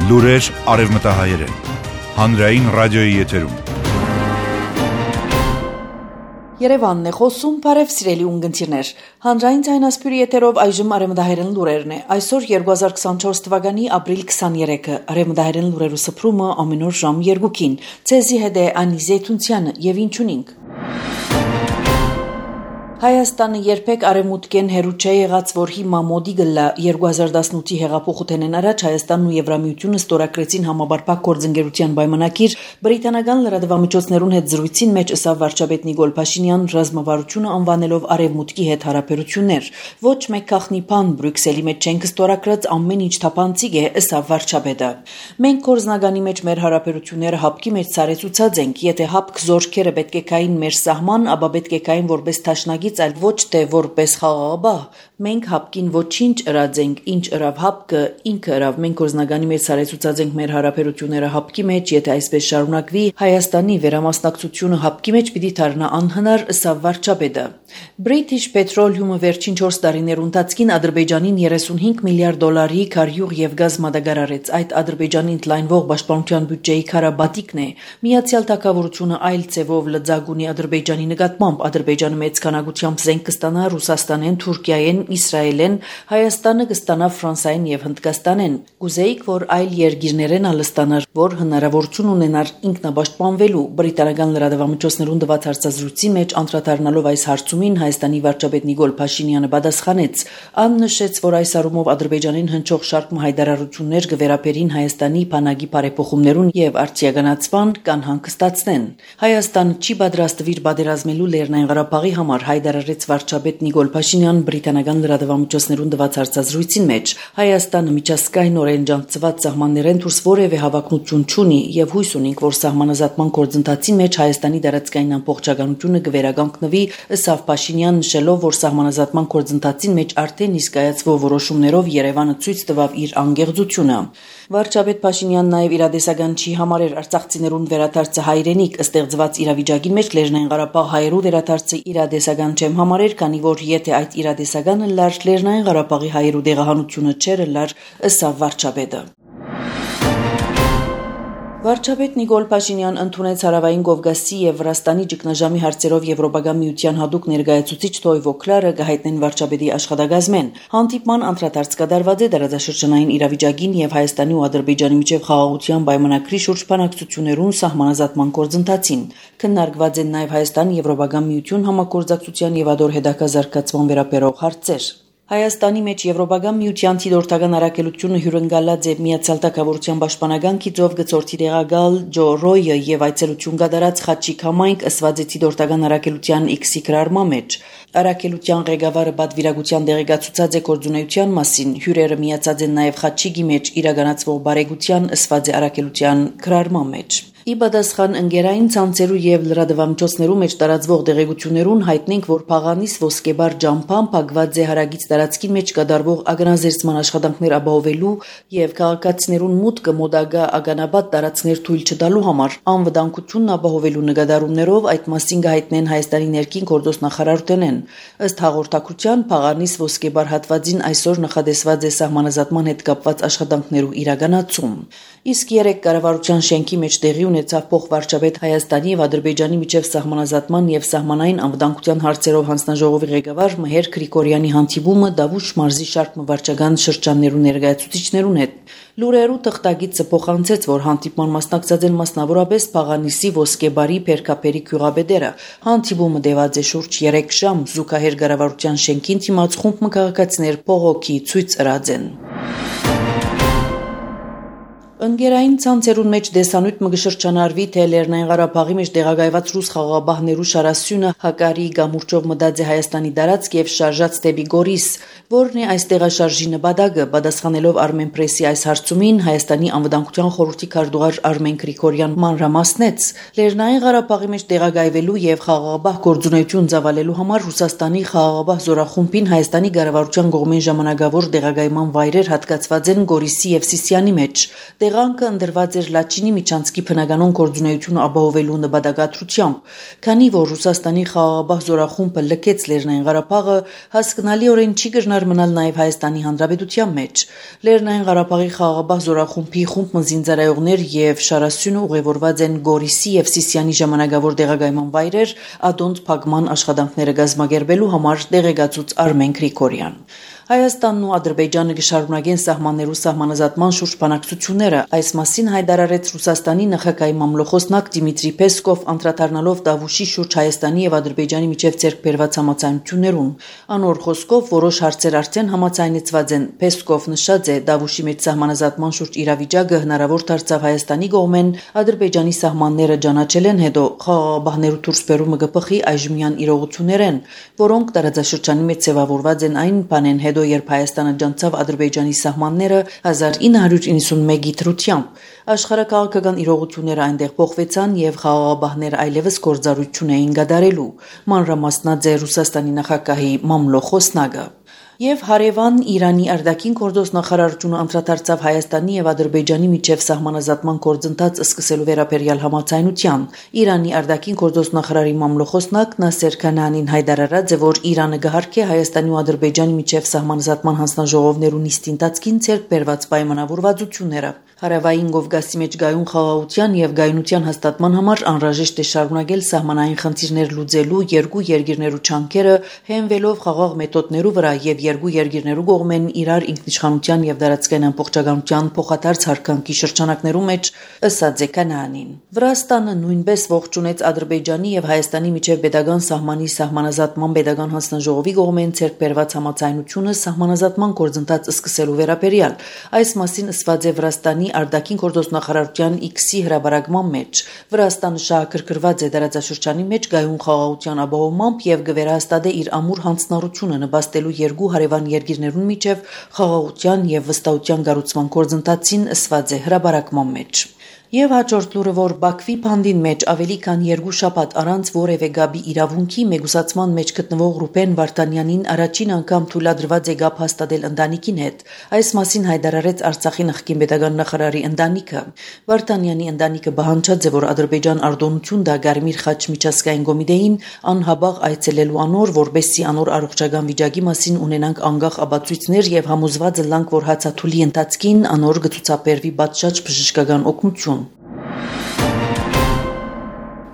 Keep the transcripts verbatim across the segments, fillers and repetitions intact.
Լուրեր արևմտահայերեն, հանրային ռադիոյի եթերում։ Երևանն է խոսում, բարև սիրելի ունգընտիրներ։ Հանրային ձայնասպյուրի եթերով այժմ արևմտահայերեն լուրերն է։ Այսօր երկու հազար քսանչորս թվականի ապրիլ քսաներեքը, արևմտահայերեն լուրերու սփռումը ամեն օր ժամ երկուքին։ Ցեզի հետ է Անի Զեյթունցյանը եւ ինչունինք։ Հայաստանը երբեք արևմուտքեն հերու չէ եղած, որ հիմա մոդի գլա երկու հազար տասնութի հեղափոխութենեն առաջ Հայաստանն ու Եվրամիությունը ստորագրեցին համաբարփակ գործընկերության պայմանագիր, բրիտանական լրատվամիջոցներուն հետ զրույցին մեջ ըսավ վարչապետ Նիկոլ Փաշինյան ռազմավարությունը անվանելով արևմուտքի հետ հարաբերություններ։ Ոչ մեկ քախնի բան Բրյուսելի մեջ չենք ստորագրած, ամեն ինչ թափանցիկ է, ըսավ վարչապետը։ Մենք կորզնագանի մեջ մեր հարաբերությունները հապկի մեջ ցարեցուցած ենք, եթե հապկ զորքերը պետք է կային մեր սահման, ապա պետք է կային որպես տաշնագի այլ ոչ թե որպես խաղաղաբահ։ Մենք հապկին ոչինչ ըրած ենք, ինչ ըրավ հապկը, ինքը ըրավ, մենք կորզնագանի մեջ ցարեցուցած ենք մեր հարաբերությունները հապկի մեջ, եթե այսպես շարունակվի, Հայաստանի վերամասնակցությունը հապկի մեջ պիտի դառնա անհնար, ըսավ վարչապետը։ British Petroleum-ը վերջին չորս տարիներու ընթացքին Ադրբեջանին երեսունհինգ միլիարդ դոլարի քարյուղ եւ գազ մատակարարեց։ Այդ Ադրբեջանին ընդլայնվող պաշտպանության բյուջեի քարաբատիկն է։ Միացյալ Թագավորությունը այլ ձևով լծակ ունի Ադրբեջանի նկատմամբ։ Ադրբեջանը մեծ քանակությամբ զենք կստանա Ռուսաստանեն, Թուրքիայեն, Իսրայելեն, Հայաստանը կստանա Ֆրանսիային եւ Հնդկաստանեն։ Կուզեիք, որ այլ երկիրներեն ալստանար, որ հնարավորություն ունենար ինքնապաշտպանվելու։ Բրիտանական լրատվամիջոցներուն տված հարցազրույցի մեջ անդրադառնալով այս հարցումին Հայաստանի վարչապետ Նիկոլ Փաշինյանը պատասխանեց. «Ան նշեց, որ այս առումով Ադրբեջանին հնչող շարք հայտարարություններ կվերապերին Հայաստանի բանակի բարեփոխումներուն եւ արտիականացման կան հանգստացնեն։ Հայաստանը չի պատրաստվիր պատերազմելու Լեռնային Ղարաբաղի համար», հայտարարեց վարչապետ Նիկոլ Փաշինյան բրիտանական լրատվամիջոցներուն տված հարցազրույցին մեջ։ Հայաստանը միջազգայինորեն ջանցված սահմաններեն դուրս որևէ հավակնություն չունի եւ հույս ունենք, որ սահմանազատման գործընթացի մեջ Հայաստանի տարածքային ամբողջականությունը կվերականգնվի, ըսավ Փաշինյան, նշելով, որ սահմանազատման գործընթացին մեջ արդեն իսկ կայացվող որոշումներով Երևանը ցույց տվավ իր անկեղծությունը։ Վարչապետ Փաշինյանն նաև իրադեսական չի համարել արցախցիներուն վերադարձը հայրենիք, ստեղծված իրավիճակի մեջ Լեռնային Ղարաբաղ հայերու վերադարձը իրադեսական չեմ համարել, քանի որ եթե այդ իրադեսականը լար Լեռնային Ղարաբաղի հայերու դեղահանությունը չէր լար, ըսավ վարչապետը։ Վարչապետ Նիկոլ Փաշինյան ընդունեց Հարավային Կովկասի եւ Վրաստանի ճգնաժամի հարցերով Եվրոպական միության հատուկ ներկայացուցիչ Թոյվո Քլարը կհայտնեն վարչապետի աշխատակազմեն։ Հանդիպման անդրադարձ կատարված է տարածաշրջանային իրավիճակին եւ Հայաստանի ու Ադրբեջանի միջև խաղաղության պայմանագրի շուրջ բանակցություններուն սահմանազատման գործընթացին։ Քննարկված են նաեւ Հայաստան-Եվրոպական միություն համագործակցության եւ ադոր հետաքազարգացման վերաբերող հարցեր։ Հայաստանի մեջ Եվրոպական միության թիդորտական առաքելությունը հյուրընկալած է Միացյալ Թագավորության պաշտպանական գիծով գծորդի տեղակալ Ջո Ռոյը եւ այցելություն կատարած Խաչիկ համայնք ըսված է թիդորտական առաքելության X-ի գրառման մեջ։ Առաքելության ղեկավարը պատվիրակության տեղեկացուցած է գործունեության մասին։ Հյուրերը միացած են նաեւ Խաչիկի մեջ իրականացվող բարեգության ըսված է առաքելության գրառման մեջ։ Ի պատասխան ընկերային ցանցերու եւ լրատվամիջոցներու մեջ տարածվող տեղեկություններուն հայտնենք, որ Փաղանիս ոսկեբար ջամփան փակված է հարագից տարածքին մեջ կատարվող ագանազերծման աշխատանքներ ապահովելու եւ քաղաքացիներուն մուտքը մոդագա ագանաբադ տարածքներ թույլ չտալու համար անվտանգությունն ապահովելու նկատառումներով այդ մասին կհայտնեն Հայաստանի ներքին գործոս նախարարութենեն։ Ըստ հաղորդակցության Փաղանիս ոսկեբար հատվածին այսօր նախադեсված է սահմանազատման հետ կապված աշխատանքներու իրականացում։ Իսկ երեք կառավարության շենքի մեջ տեղի ունեցավ փոխվարչապետ Հայաստանի եւ Ադրբեջանի միջև սահմանազատման եւ սահմանային անվտանգության հարցերով հանձնաժողովի ղեկավար Մհեր Գրիգորյանի հանդիպումը Դավուշ մարզի շարք մվարչական շրջաններու ներկայացուցիչներուն հետ։ Լուրերու թղթագիտը փոխանցեց, որ հանդիպման մասնակցած են մասնավորապես Փաղանիսի ոսկեբարի Փերքապերի քյուղաբեդերը։ Հանդիպումը տևած է շուրջ երեք ժամ, զուգահեռ կառավարության շենքին դիմաց խումբ քաղաքացիներ փողոքի ցույց ըրած են։ Ընկերային ցանցերուն մեջ դեսանույթ մը կշրջանարվի, թե Լեռնային Ղարաբաղի մեջ տեղակայված ռուս խաղաղաբահներու շարասյունը հակարի գամուրջով մտած է Հայաստանի տարածք եւ շարժած դեպի Գորիս, որն է այս տեղաշարժի նպատակը։ Պատասխանելով Armenpress-ի այս հարցումին Հայաստանի անվտանգության խորհրդի քարտուղար Արմեն Գրիգորյան մանրամասնեց. Լեռնային Ղարաբաղի մեջ տեղակայվելու եւ խաղաղաբահ գործունեություն ծավալելու համար Ռուսաստանի խաղաղաբահ զորախումբին Հայաստանի կառավարության կողմեն ժամանակավոր տեղակայման վայրեր հատկացված են Գորիսի եւ Սիսիանի մեջ։ Եղանքը ընդրված էր Լաչինի միջանցքի բնականոն գործունեությունը ապահովելու նպատակադրությամբ, քանի որ Ռուսաստանի խաղաղապահ զորախումբը լքեց Լեռնային Ղարաբաղը, հասկանալիորեն չի կրնար մնալ նաև Հայաստանի Հանրապետության մեջ։ Լեռնային Ղարաբաղի խաղաղապահ զորախումբի խումբ զինծառայողներ եւ շարասյունը ուղևորված են Գորիսի եւ Սիսիանի ժամանակավոր տեղակայման վայրեր ադոնտ փակման աշխատանքները կազմակերպելու համար տեղեկացուց Արմեն Գրիգորյան։ Հայաստանն ու Ադրբեջանը կշարունակեն սահմաններու սահմանազատման շուրջ բանակցությունները, այս մասին հայտարարեց Ռուսաստանի նախագահի մամլոխոսնակ Դիմիտրի Պեսկով, անդրադառնալով Դավուշի շուրջ Հայաստանի եւ Ադրբեջանի միջև ձեռք բերված համաձայնություններուն։ Անոր խոսքով որոշ հարցեր արդեն համաձայնեցված են։ Պեսկով նշած է, Դավուշի մեջ սահմանազատման շուրջ իրավիճակը հնարավոր դարձավ Հայաստանի կողմեն, Ադրբեջանի սահմանները ճանաչել են հետո խաղաղապահներու դուրս բերումը կփխի այժմյան իրողություններ են, որոնք տարածաշրջանի մեջ ձևավորված են այն բանեն հետո երբ Հայաստանը ջանցավ Ադրբեջանի սահմանները հազար ինը հարյուր իննսունմեկի դրությամբ։ Աշխարհակաղակական իրողությունները այնտեղ փոխվեցան եւ խաղաղապահները այլևս գործառույթ չունեին կատարելու։ Մանրամասնած է Ռուսաստանի նախագահի մամլոխոսնակը։ Եվ հարևան Իրանի արտաքին գործոս նախարարությունը անդրադարձավ Հայաստանի եւ Ադրբեջանի միջև սահմանազատման գործընթաց սկսելու վերաբերյալ համաձայնության։ Իրանի արտաքին գործոս նախարարի մամլոխոսնակ Նասեր Քանանին հայտարարած է, որ Իրանը կհարգի Հայաստանի ու Ադրբեջանի միջև սահմանազատման հանձնաժողովներու նիստի ընթացքին ցերկ բերված պայմանավորվածությունները։ Հարավային Կովկասի մեջ գայուն խաղաղության եւ գայունության հաստատման համար անհրաժեշտ է շարունակել սահմանային խնդիրներ լուծելու երկու երկիրներու չանքերը, հենվելով խաղաղ մեթոդներու վրա եւ երկու երկիրներու կողմեն իրար ինքնիշխանության եւ դարածքային ամբողջականության փոխադարձ հարկանքի շրջանակներու մեջ, ըսած է Քանանին։ Վրաստանը նույնպես ողջունեց Ադրբեջանի եւ Հայաստանի միջև պետական սահմանի սահմանազատման պետական հանձնաժողովի կողմեն ցերկ բերված համաձայնությունը սահմանազատման գործընթաց սկսելու վերաբերյալ։ Այս մասին ըսված է Վրաստանի արտաքին գործոս նախարարության X-ի հրապարակման մեջ։ Վրաստանը շահագրգռված է տարածաշրջանի մեջ գայուն խաղաղության ապահովմամբ եւ կվերահաստատե իր ամուր հանձնառությունը նպաստելու երկու հարևան երկիրներուն միջև խաղաղության եւ վստահության կառուցման գործընթացին, ըսված է հրապարակման մեջ։ Եվ հաջորդ լուրը, որ Բաքվի փանդին մեջ ավելի քան երկու շաբաթ առանց որևէ գաբի իրավունքի մեգուսացման մեջ գտնվող Ռուբեն Վարդանյանին առաջին անգամ թույլատրված է գապ հաստատել ընտանիքին հետ։ Այս մասին հայտարարեց Արցախի նախկին պետական նախարարի ընտանիքը։ Վարդանյանի ընտանիքը բանջած է, որ Ադրբեջան արտոնություն դա Գարմիր խաչ միջազգային կոմիտեին անհաբաղ այցելելու անոր, որբեսի անոր առողջական վիճակի մասին ունենանք անկախ ապացույցներ եւ համոզված լանք, որ հացաթուլի ընթացքին անոր գծուցաբերվի պատշաճ բժշկական օգնություն։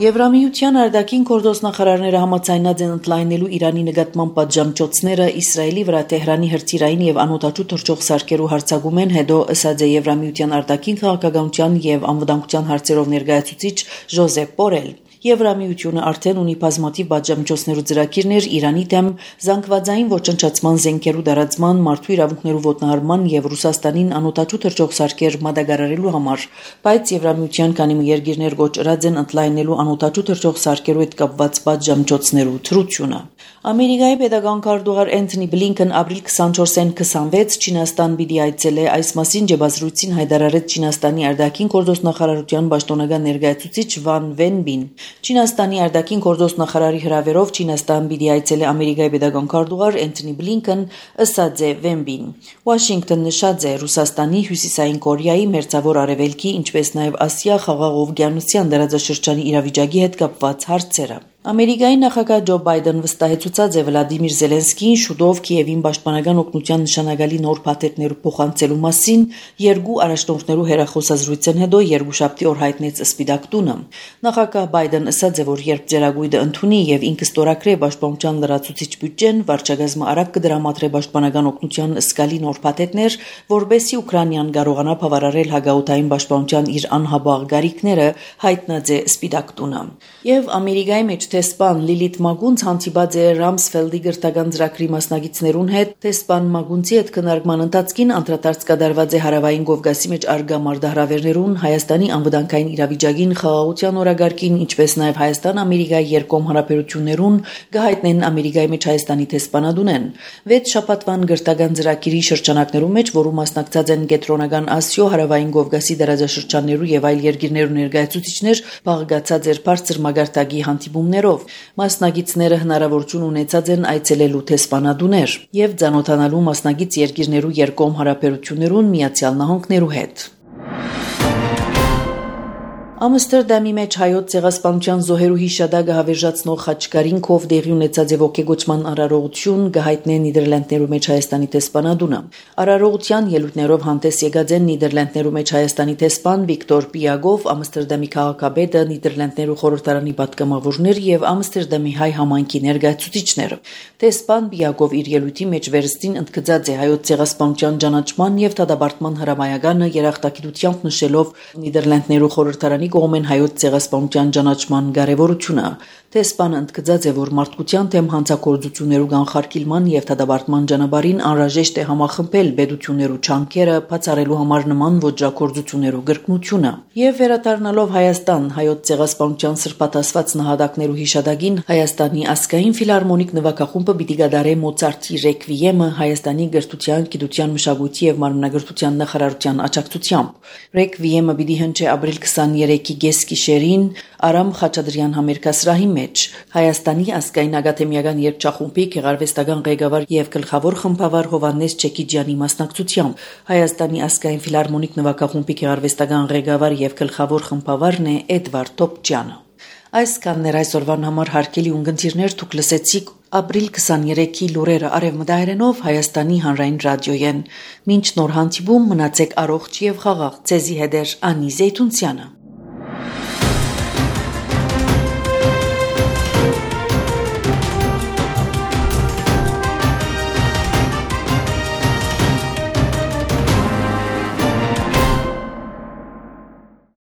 Եվրամիության արտաքին գործոս նախարարները համաձայնած են ընդլայնելու Իրանի նկատմամբ պատժամիջոցները Իսրայելի վրա Թեհրանի հրթիռային եւ անօդաչու թռչող սարքերու հարձակումեն հետո, ըսած է Եվրամիության արտաքին քաղաքականության եւ անվտանգության հարցերով ներկայացուցիչ Ժոզեփ Բորել։ Եվրամիությունը արդեն ունի բազմաթիվ պատժամիջոցներու ծրագիրներ Իրանի դեմ զանգվածային ոչնչացման զենքերու դարածման, մարդու իրավունքներու ոտնահարման եւ Ռուսաստանին անօդաչու թռչող սարքեր մատակարարելու համար, բայց Եվրամիության քանի երկիրներ գոչրած են ընդլայնելու անօդաչու թռչող սարքերու հետ կապված պատժամիջոցներու թրությունը։ Ամերիկայի պետական քարտուղար Էնթոնի Բլինքեն ապրիլ քսանչորսին քսանվեց Չինաստան պիտի այցելե, այս մասին ջեբազրույցին հայտարարեց Չինաստանի արտաքին գործոս նախարարության պաշտոնական ներկայացուցիչ Վան Վենբին։ Չինաստանի արտաքին գործոս նախարարի հրավերով Չինաստան պիտի այցելե Ամերիկայի պետական քարտուղար Էնթոնի Բլինքեն, ըսած է Վենբին։ Վաշինգտոն նշած է Ռուսաստանի, Հյուսիսային Կորեայի, Մերձավոր Արևելքի, ինչպես նաև Ասիա խաղաղ օվկիանոսյան դարաձաշրջանի իրավիճակի հետ կապված հարցերը։ Ամերիկայի նախագահ Ջո Բայդեն վստահեցուցած է Վլադիմիր Զելենսկին շուտով Կիևին պաշտպանական օգնության նշանակալի նոր փաթեթներ փոխանցելու մասին երկու առաջնորդներու հերախոսազրույցեն հետո երկուշաբթի օր հայտնեց Սպիտակ տունը։ Նախագահ Բայդեն ասաց է, որ երբ ձեռագույտը ընդունի եւ ինքը ստորագրե պաշտպանության լրացուցիչ բյուջեն, վարչագազմը արագ կդրամատրե պաշտպանական օգնության սկալի նոր փաթեթներ, որբեսի Ուկրաինան կարողանա բավարարել հագաուտային պաշտպանության իր անհաբաղ գարիքները, հայտնած է Սպիտակ տունը։ Եվ Ամերիկայի մեջ Տեսպան Լիլիթ Մագունց հանդիպած է Ռամսֆելդի գրթական ծրագրի մասնակիցներուն հետ։ Տեսպան Մագունցի հետ քննարկման ընթացքին անդրադարձ կատարված է հարավային Կովկասի մեջ արգա մարտահրավերներուն, Հայաստանի անվտանգային իրավիճակին, խաղաղության օրագարկին, ինչպես նաև Հայաստան-Ամերիկայի երկկողմ հարաբերություններուն, կհայտնեն Ամերիկայի մեջ Հայաստանի տեսփանադունեն։ Վեց շաբաթվան գրթական ծրագիրի շրջանակներում մեջ, որում մասնակցած են Կենտրոնական Ասիո, հարավային Կովկասի դարաձաշրջաններու եւ այլ երկիրներու ներկայացուցիչներ, բաղկացած էր բարձր մագարտակի հանդիպումներ։ Մասնագետները հնարավորություն ունեցած են այցելելու տեսփանադուներ եւ ծանոթանալու մասնագետ երկիրներու երկկողմ հարաբերություններուն Միացյալ Նահանգներու հետ։ Ամստերդամի մեջ հայոց ցեղասպանության զոհերու հիշադակը հավերժացնող խաչկարինքով դեղի ունեցած եւ ոգեգոճման արարողություն գահիտնե Նիդերլանդներու մեջ Հայաստանի տեսփանադունը։ Արարողության ելույթներով հանդես եկած են Նիդերլանդներու մեջ Հայաստանի տեսփան Վիկտոր Պիագով, Ամստերդամի քաղաքապետը, Նիդերլանդներու խորհրդարանի պատգամավորներ եւ Ամստերդամի հայ համայնքի ներկայացուցիչները։ Տեսփան Պիագով իր ելույթի մեջ վերստին ընդգծած է հայոց ցեղասպանության ճանաչման եւ դադարեցման հրամայականը երախտագիտությամբ նշելով Նիդերլանդներու խորհրդարանի կողմեն հայոց ցեղասպանության ճանաչման կարևորությունը։ Տեսփանը ընդգծած է, որ մարդկության թեմ հանցագործություններու կանխարգելման եւ դադարեցման ճանապարհին անհրաժեշտ է համախմբել բեդություններու չանքերը, բացառելու համար նման ոճրագործություններու գրկնությունը։ Եվ վերադառնալով Հայաստան, հայոց ցեղասպանության սրբատասված նահատակներու հիշադակին Հայաստանի ազգային ֆիլհարմոնիկ նվագախումբը պիտի գդարե Մոցարտի ռեկվիեմը Հայաստանի գրթության, գիտության, մշակույթի եւ մարմնագրթության նախարարության աջակցությամբ։ Ռեկվիեմը պիտի հնչի ապրիլ քսաներեքի գեսկիշերին Արամ Խաչատրյան համերգասրահի մեջ Հայաստանի ազգային ակադեմիական երգչախումբի գեղարվեստական ղեկավար եւ գլխավոր խմբավար Հովհաննես Չեկիջյանի մասնակցությամբ Հայաստանի ազգային ֆիլհարմոնիկ նվագախումբի գեղարվեստական ղեկավար եւ գլխավոր խմբավարն է Էդվարդ Տոպչյանը։ Այս կաններ այսօրվան համար հարկելի ունգընտիրներ դուք լսեցիք ապրիլ քսաներեքի լուրերը արևմտահայերենով Հայաստանի հանրային ռադիոյեն։ Մինչ նոր հանդիպում մնացեք առողջ եւ խաղաղ։ Ձեզի հետ է Անի Զեյթունցյանը։